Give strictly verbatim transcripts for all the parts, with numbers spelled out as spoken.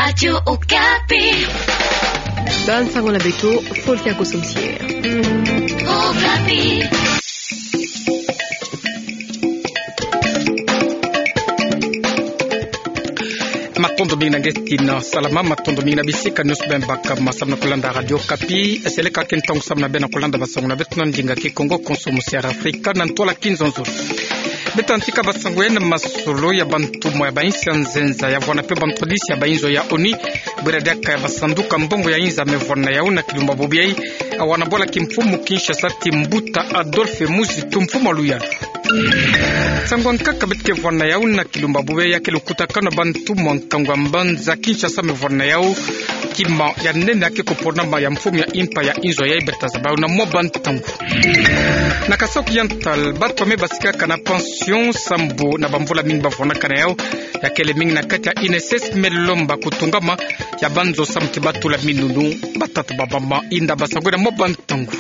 Radio Okapi. Ba nsango na beto, Folkia Kosomsie. Okapi. Matondo mingi na nge ti na salama, matondo mingi na bisika nyonso beno baka ma samu na kulanda Radio Okapi. Seleka ke ntangu samu na beno kulanda bansango na beto na ndinga Kikongo, Konso Musiara Afrika na ntwala Kinzonzolo. Beto tantika bansango ya na masolo ya bantumwa ya bainsi ya nzenza, ya vwanda mpe bantwadisi ya bainzo ya ONU, bwela diaka ya basanduka mbongo ya inza me vwanda yau na kilumba bobo yai, awa na bwala kimfumu Kinshasa ti mbuta Adolphe Muzitu, mfumu a luyalu. Nsangu ya nkaka beto ke vwanda yau na kilumba bobo yai, ya ke lukutakanu ya bantumwa nkangu ya mbanza Kinshasa me vwanda yau kima ya nene ya ke kuponama ya mfumu ya impa ya inzo yai, beta zaba yau na mwa bantangu. Na Kasaï Oriental, bantu ya me basikaka na pension sambu na bamvula mingi bavwanakana yau, ya kele mingi na kati ya INSS, me lomba kutungama ya banzo samu ti batula minunu, batata, bamama. Inda bansango na mwa bantangu.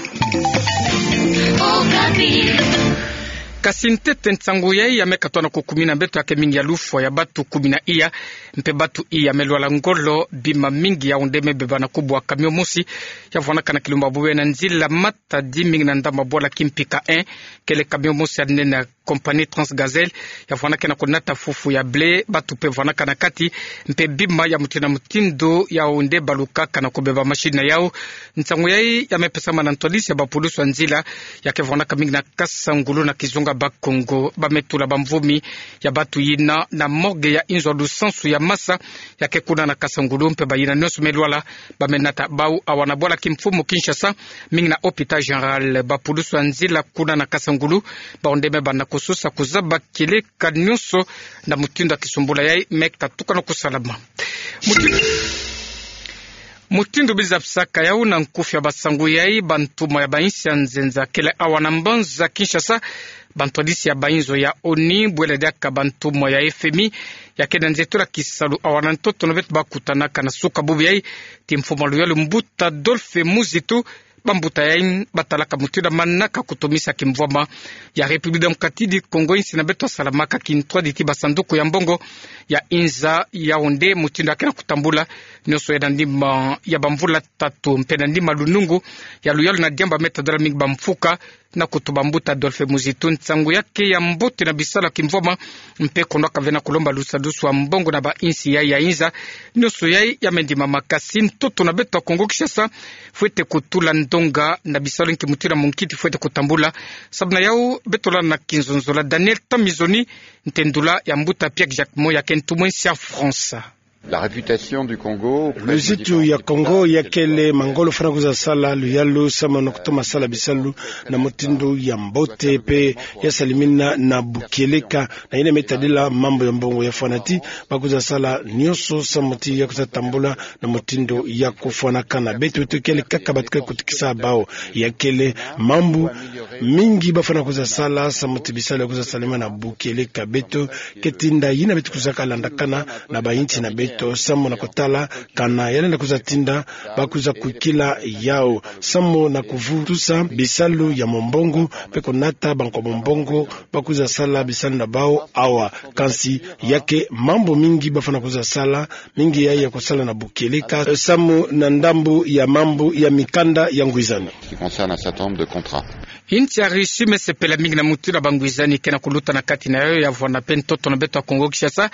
Kasi ntete nsangu yai ya me katoa na kukumina beto ya ke mingi ya lufwa ya bantu kumi na iya, mpe bantu iya me lwala ngolo. Bima mingi yau nde me beba na kubu ya camion mosi ya vwanakana kilumba bobo yai na nzila Matadi, mingi na ndambu ya bwala Kimpika un, kele camion mosi ya nene ya compagnie Transgazelle, ya vwanakana kunata fufu ya blé, bantu mpe vwanakana kati, mpe bima ya mutindu na mutindu yau nde balukaka na kubeba machine na yau. Nsangu yai ya me pesama na ntwadisi ya bapulusu ya nzila ya ke vwanaka mingi na Kasangulu na kizunga Bas-Congo. Ba me tula bamvumi ya bantu yina na morgue ya inzo ya lusansu ya masa ya ke kuna na Kasangulu, mpe bayina nyonso me lwala ba me nata bau awa na bwala kimfumu Kinshasa, mingi na hôpital général. Bapulusu ya nzila kuna na Kasangulu, bau nde me banda kususa kuzaba kieleka nyonso na mutindu ya kisumbula yai me katuka na kusalama. Muti-, mutindu biza bisaka yau na nkufi ya bansangu yai, bantumwa ya bainsi ya nzenza kele awa na mbanza Kinshasa, bantwadisi ya bainzo ya ONU, bwela diaka bantumwa ya FMI, ya ke na nzietolo ya kisalu awa na ntoto na beto bakutanaka na suka bubu yai, ti mfumu a luyalu mbuta Adolphe Muzitu. Bambuta yai batalaka mutindu ya manaka kutomisa kimvwama ya République Démocratique du Congo, insi na beto ya salamaka kintwadi ti basanduku ya mbongo ya inza. Yau nde mutindu ya ke na kutambula, nyonso ya na nima ya bamvula tatu mpe na nima lunungu ya luyalu na diambu ya me tadala mingi bamfuka, na kutuba mbuta Adolphe Muzitu nsangu ya ke ya mbote na bisalu ya kimvwama, mpe kono kavena kulomba lusadusu ya mbongo na bainsi yai ya inza. Nyonso yai ya me ndimama, kasi ntoto na beto ya Kongo Kinshasa fwete kutula ndonga na bisalu nki mutindu ya munkiti fwete kutambula. Samu na yau beto landa na kinzonzolo ya Daniel Tamizoni, ntendula ya mbuta Pierre Jacquemot ya ke ntumwa insi ya France. La réputation du Congo. Luzitu ya Congo ya kele mangolo fwana kwiza sala luyalu samu na kutoma sala bisalu na mutindu ya mbote mpe ya salimina na bukieleka. Na yina me tadila mambu ya mbongo ya fwana ti ba kwiza sala nyonso samu ti ya kwiza tambula na mutindu ya kufwanakana. Beto, beto kele kaka bato ke kutukisa bau. Ya kele mambu mingi ba fwana kwiza sala samu ti bisalu ya kwiza salimina na bukieleka. Beto ke tinda yina beto kwizaka landakana na bainsi na beto samu na kutala kana ya lenda kwiza tinda ba kwiza kwikila yau samu na kuvutusa bisalu ya mombongo mpe kunata bankwa mombongo ba kwiza sala bisalu na bau awa. Kansi ya ke mambu mingi ba fwana kwiza sala, mingi yai ya kusala na bukieleka, eh, samu na ndambu ya mambu ya mikanda ya ngwizani. Qui concerne un certain nombre de contrats. Insi ya Russie me sepela mingi na mutindu ya bangwizani ke na kuluta na kati na yau, ya vwanda mpe ntoto na beto ya Kongo Kinshasa.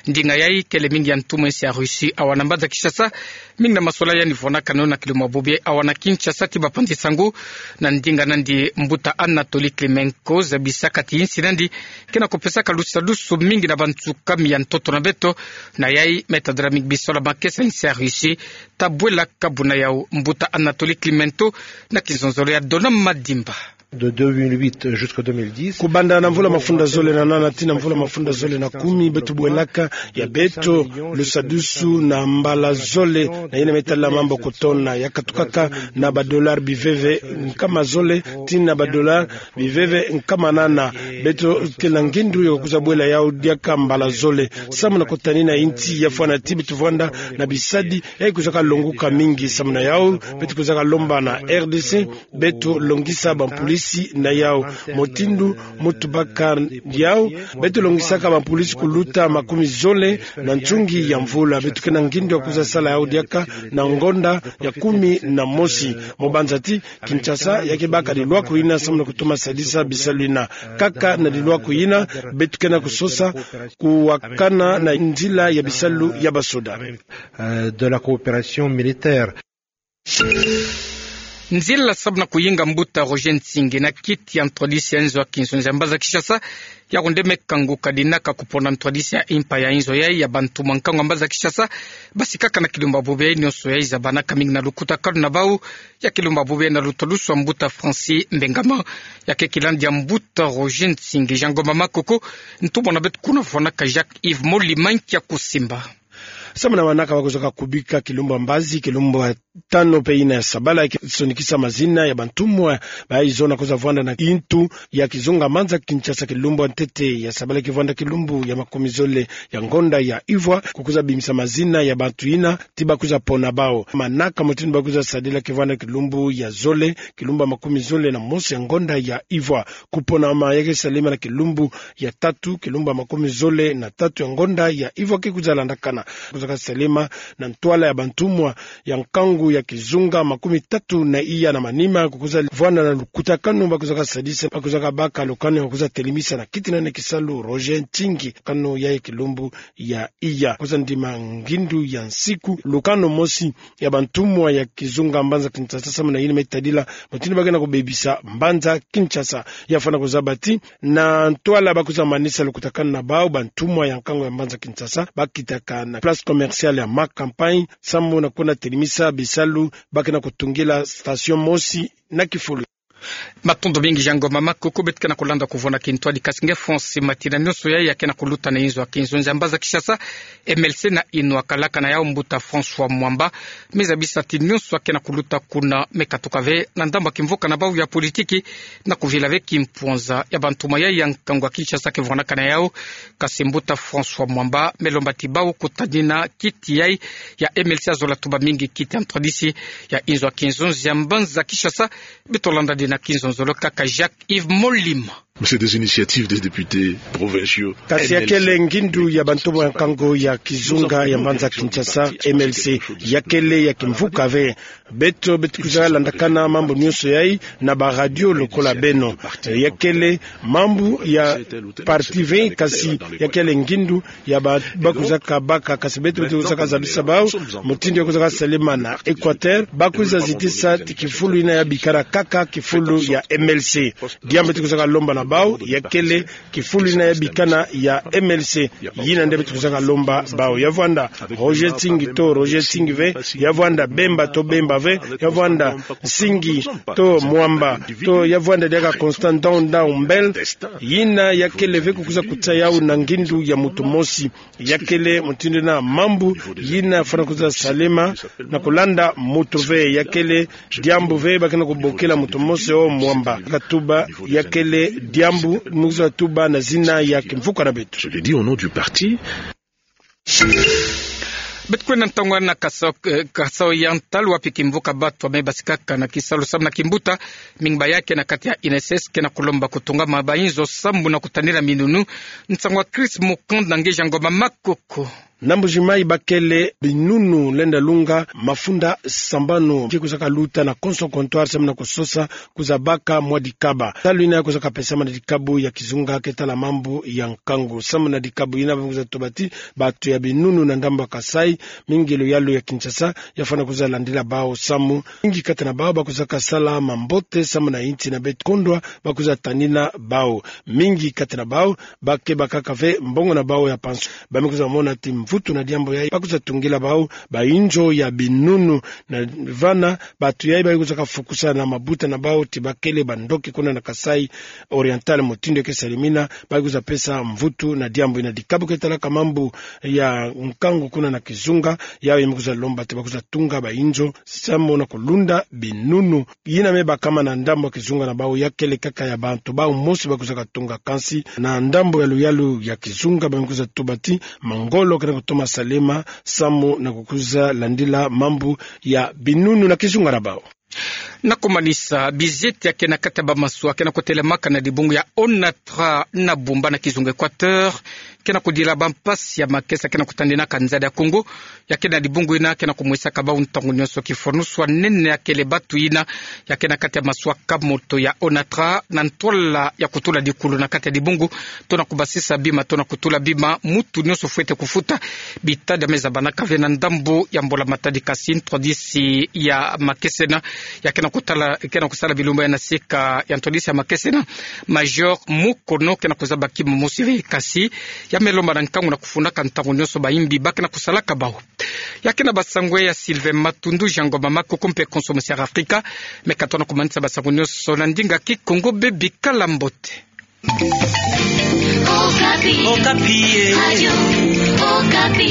Ndinga yai kele mingi ya ntumwa insi ya Russie awa na mbanza Kinshasa, mingi na masola yandi vwanakana na kilumbu ya bobo yai awa na Kinshasa ti bapanzi sango. Na ndinga nandi mbuta Anatoly Klimenko zabisaka ti insi nandi ke na kupesaka lusadusu mingi na bansukami ya ntoto na beto. Na yai me tadala mingi bisalu ya makesa insi ya Russie ta bwela kabu na yau. Mbuta Anatoly Klimenko na kinzonzolo ya Dona Madimba. De deux mille huit jusqu'à deux mille dix. Kubanda na mvula mafunda zole na nana tii na mvula mafunda zole na kumi, beto bwelaka ya beto lusadusu na mbala zole na yina me tala mambu kutona, ya katukaka na badolari biveve nkama zole tii na badolari biveve nkama nana. Beto ke na ngindu ya kwiza bwela yau diaka mbala zole samu na kutanina insi ya fwana ti beto vwanda na bisadi yai kwizaka longuka mingi. Samu na yau beto kwizaka lomba na R D C beto longisa bampolisi si na yau. Mutindu mutu baka yau, beto longisaka bampolisi kuluta makumi zole na nsungi ya mvula. Beto ke na ngindu ya kwiza sala yau diaka na ngonda ya kumi na mosi. Mo banza ti Kinshasa ya ke baka lilwaku yina samu na kutoma sadisa bisalu yina. Kaka na lilwaku yina, beto ke na kusosa kuwakana na nzila ya bisalu ya basoda. Euh, de la coopération militaire. Nzila samu na kuyinga mbuta Roger Nsingi na kiti ya ntwadisi ya nzo ya kinzonzi ya mbanza Kinshasa, yako nde me kanguka dinaka kupona ntwadisi ya impa ya nzo yayi ya bantumwa nkangu ya mbanza Kinshasa, basikaka na kilumbu ya bubu yayi, nionso yayi zabanaka mingi na lukutakanu na bau, ya kilumbu ya bubu yayi na lutalusu ya mbuta Francis Mbengama. Ya ke kilandi ya mbuta Roger Nsingi, Jean Ngoma Makoko, ntumwa na beto kuna vwanaka Jacques Yves Molimanki ya kusimba. Samu na manaka ba kwizaka kubika kilumbu ya mbazi, kilumbu ya tanu mpe yina ya sabala, ya ke sonikisa mazina ya bantumwa bayi zona kwiza vwanda na ntu ya kizunga mbanza Kinshasa kilumbu ya ntete ya sabala, ke vwanda kilumbu ya makumi zole ya ngonda ya ivwa, kukwiza bimisa mazina ya bantu yina ti ba kwiza pona bau. Manaka mutindu ba kwiza sadila ke vwanda kilumbu ya zole, kilumbu ya makumi zole na mosi ya ngonda ya ivwa. Kuponama ya ke salema na kilumbu ya tatu, kilumbu ya makumi zole na tatu ya ngonda ya ivwa ke kwiza landakana. Kwizaka salema na ntwala ya bantumwa ya nkangu ya kizunga makumi tatu na iya na manima, kukwiza vwanda na lukutakanu ba kwizaka sadisa, ba kwizaka baka lukanu ya kwiza telemisa na kiti na nene kisalu Roger Nsingi, kanu ya kilumbu ya iya. Kwiza ndima ngindu ya nsiku, lukanu mosi ya bantumwa ya kizunga mbanza Kinshasa samu na yina me tadila mutindu ba ke na kubebisa mbanza Kinshasa. Ya fwana kuzaba ti na ntwala ba kwiza manisa lukutakanu na bau, bantumwa ya nkangu ya mbanza Kinshasa ba kitaka na place commerciale ya Mack Campagne samu na kwenda telemisa bisalu ba ke na kutungila station mosi na kifulu. Matondo mingi Jean Ngoma Makoko. Beto ke na kulanda kuvwanda kintwadi kasi nge Francis Matina, nionso yayi ya ke na kuluta na inzo ya kinzonzi ya mbanza Kinshasa, M L C na inwa kalaka na yau mbuta François Mwamba, me zabisa ti nionso ya ke na kuluta kuna me katuka ve na ndambu ya kimvuka na bau ya politiki, na kuvila ve kimpwanza ya bantumwa yayi ya nkangu ya Kinshasa ke vwanaka na yau. Kasi mbuta François Mwamba me lomba ti bau kutanina kiti yayi ya M L C, azola tuba mingi kiti ya ntwadisi ya inzo ya kinzonzi ya mbanza Kinshasa. Beto landa dina kinzonzolo kaka Jacques Yves Molima. Mais c'est des initiatives des députés provinciaux. Kasi ya kele ngindu ya bantumwa ya nkangu ya kizunga ya mbanza Kinshasa, M L C, ya kele ya kimvuka ve. Beto, beto kwiza landakana mambu nionso yayi na ba radio lokola beno. Ya kele mambu ya parti ve, kasi ya kele ngindu ya ba, ba kwizaka baka, kasi beto, beto kwizaka zabisa bau mutindu ya kwizaka salema na Equateur, ba kwiza zitisa ti kifulu yina ya bikana kaka kifulu ya M L C. Diambu beto kwizaka lomba na bau ya kele kifulu yina ya bikana ya M L C. Yina nde beto kwizaka lomba bau. Ya vwanda Roger Nsingi to Roger Nsingi ve, ya vwanda Bemba to Bemba ve, ya vwanda Nsingi to Mwamba, to ya vwanda diaka Constant Ndao Ndao Mbel. Yina ya kele ve kukwiza kuta yau na ngindu ya muntu mosi. Ya kele mutindu na mambu yina fwana kwiza salema na kulanda muntu ve. Ya kele diambu ve ba ke na kubokela muntu mosi o Mwamba. Katuba ya kele diambu mu kwiza tuba na zina ya kimvuka na beto. Je le dis au nom du parti. Beto kwenda ntangu na Kasao, eh, Kasai Oriental, wapi kimvuka batu ame basikaka na kisalu samu na kimbuta, mingi ba ya ke na kati ya I N S S ke na kulomba kutungama ba inzo samu na kutanina minunu. Nsangu ya Chris Mukand na nge Jean Ngoma Makoko. Na Mbuji-Mayi ba kele binunu lenda lunga mafunda sambanu ke kwizaka luta na konso comptoir samu na kusosa kwiza baka mwa dikaba. Salu yina ya kwizaka pesama na dikabu ya kizunga ke tala mambu ya nkangu. Samu na dikabu yina ba kwiza tuba ti batu ya binunu na ndambu ya Kasai, mingi luyalu ya Kinshasa, ya fwana kwiza landila bau samu mingi kati na bau ba kwizaka sala mambote samu na insi na beto kondwa ba kwiza tanina bau. Mingi kati na bau ba ke bakaka ve mbongo na bau ya pension. Ba me kwiza mona ti mvutu na diambu yayi ba kwiza tungila bau ba inzo ya binunu. Na vana batu yayi ba kwizaka fukusa na mabuta na bau ti ba kele bandoki kuna na Kasai Oriental, mutindu ya ke salemina, ba kwiza pesa mvutu na diambu yina. Dikabu ke talaka mambu ya nkangu kuna na kizunga, yau ya me kwiza lomba ti ba kwiza tunga ba inzo samu na kulunda binunu. Yina me bakama na ndambu ya kizunga na bau ya kele kaka ya bantu bau mosi ba kwizaka tunga, kansi na ndambu ya luyalu ya kizunga ba me kwiza tuba ti mangolo ke na kutoma salema samu na kukwiza landila mambu ya binunu na kizunga na bau. Na komanisa, bizieti ya ke na kati ya bamaswa ke na kotelemaka na dibungu ya ONATRA na Bumba na kizunga Equateur ke na kodila bampasi ya makesa ke na kotandinaka nzadi ya Kongo. Ya ke na dibungu ina ke na komwesaka bau ntangu nyonso kifonuswa nene ya kele batu ina ya ke na kati ya maswa kamoto ya ONATRA na ntwala ya kotula dikulu na kati ya dibungu, to na kobasisa bima, to na kotula bima. Mutu nyonso fwete kofuta bitadi ya me zabanaka ve na ndambu ya mbula-matadi. Kasi ntwadisi ya makesa ina ya ke na kotala, ke na kosala bilumbu ya na sika ya ntwadisi ya makesa ina, Major Mukono, ke na kozaba kima mosi ve. Kasi ya me lomba na nkangu na kofundaka ntangu nyonso bayimbi ba ke na kosalaka bau. Ya ke na basango ya Sylvain Matundu, Jean Ngoma Makoko mpe Konso Mosiara Afrika. Me ka tona komanisa basango nyonso na ndinga Kikongo. Bebikala mbote. Okapi. Okapi, eh. Radio Okapi.